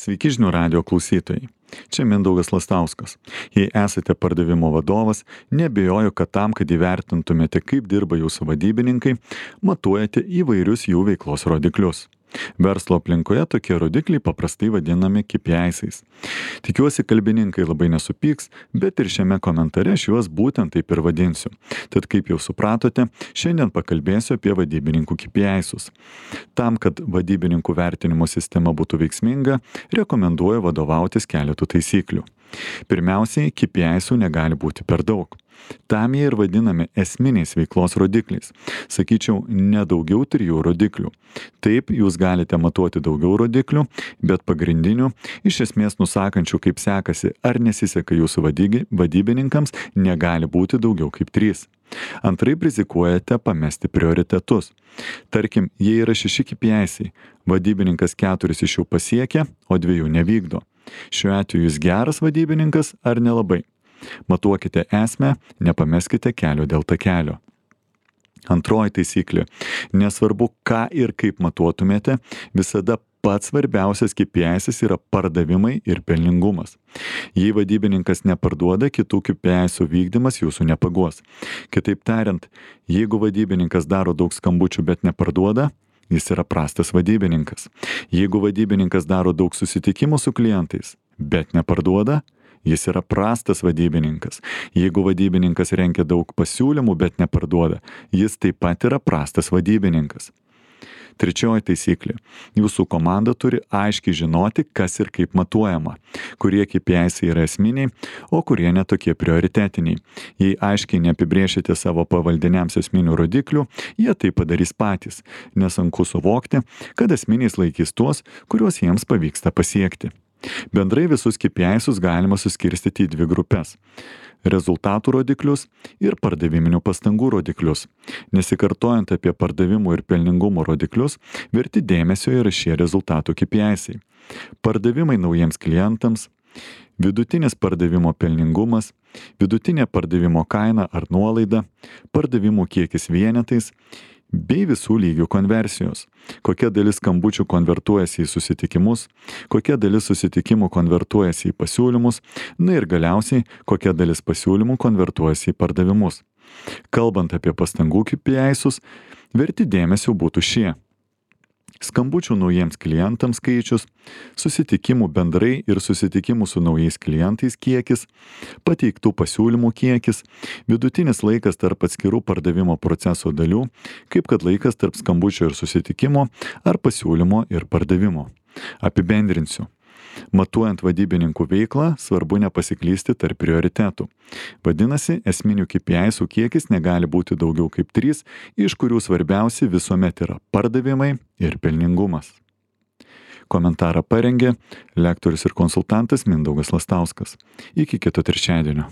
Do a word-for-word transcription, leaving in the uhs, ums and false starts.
Sveiki žinių radijo klausytojai. Čia Mindaugas Lastauskas. Jei esate pardavimo vadovas, neabejoju, kad tam, kad įvertintumėte, kaip dirba jūsų vadybininkai, matuojate įvairius jų veiklos rodiklius. Verslo aplinkoje tokie rodikliai paprastai vadinami K P I-ais. Tikiuosi, kalbininkai labai nesupyks, bet ir šiame komentare aš juos būtent taip ir vadinsiu. Tad kaip jau supratote, šiandien pakalbėsiu apie vadybininkų K P I-us. Tam, kad vadybininkų vertinimo sistema būtų veiksminga, rekomenduoju vadovautis keletų taisyklių. Pirmiausiai, K P I-ų negali būti per daug. Tam jie ir vadinami esminiais veiklos rodikliais. Sakyčiau, ne daugiau trijų rodiklių. Taip, jūs galite matuoti daugiau rodiklių, bet pagrindinių, iš esmės nusakančių, kaip sekasi ar nesiseka jūsų vadygi, vadybininkams, negali būti daugiau kaip trys. Antraip rizikuojate pamesti prioritetus. Tarkim, jei yra šeši K P I-ai, vadybininkas keturis iš jų pasiekia, o dviejų nevykdo. Šiuo atveju jūs geras vadybininkas ar nelabai? Matuokite esmę, nepameskite kelio dėl takelio. Antroji taisyklė. Nesvarbu, ką ir kaip matuotumėte, visada pats svarbiausias K P I-as yra pardavimai ir pelningumas. Jei vadybininkas neparduoda, kitų K P I-ų vykdymas jūsų nepaguos. Kitaip tariant, jeigu vadybininkas daro daug skambučių, bet neparduoda, jis yra prastas vadybininkas. Jeigu vadybininkas daro daug susitikimų su klientais, bet neparduoda, jis yra prastas vadybininkas. Jeigu vadybininkas rengia daug pasiūlymų, bet neparduoda, jis taip pat yra prastas vadybininkas. Trečioji taisyklė. Jūsų komanda turi aiškiai žinoti, kas ir kaip matuojama, kurie K P I-ai yra esminiai, o kurie netokie prioritetiniai. Jei aiškiai neapibrėšite savo pavaldiniams esminių rodiklių, jie tai padarys patys, nesunku suvokti, kad esminiais laikys tuos, kuriuos jiems pavyksta pasiekti. Bendrai visus K P I-us galima suskirstyti į dvi grupės. Rezultatų rodiklius ir pardaviminių pastangų rodiklius. Nesikartojant apie pardavimų ir pelningumo rodiklius, verti dėmesio yra šie rezultatų K P I-ai. Pardavimai naujiems klientams, vidutinis pardavimo pelningumas, vidutinė pardavimo kaina ar nuolaida, pardavimų kiekis vienetais, bei visų lygių konversijos. Kokia dalis skambučių konvertuojasi į susitikimus, kokia dalis susitikimų konvertuojasi į pasiūlymus, na ir galiausiai, kokia dalis pasiūlymų konvertuojasi į pardavimus. Kalbant apie pastangų K P I-us, verti dėmesio būtų šie. Skambučių naujiems klientams skaičius, susitikimų bendrai ir susitikimų su naujais klientais kiekis, pateiktų pasiūlymų kiekis, vidutinis laikas tarp atskirų pardavimo proceso dalių, kaip kad laikas tarp skambučio ir susitikimo ar pasiūlymo ir pardavimo. Apibendrinsiu. Matuojant vadybininkų veiklą, svarbu nepasiklysti tarp prioritetų. Vadinasi, esminių K P I-ų kiekis negali būti daugiau kaip trys, iš kurių svarbiausi visuomet yra pardavimai ir pelningumas. Komentarą parengė lektorius ir konsultantas Mindaugas Lastauskas. Iki kito trečiadienio.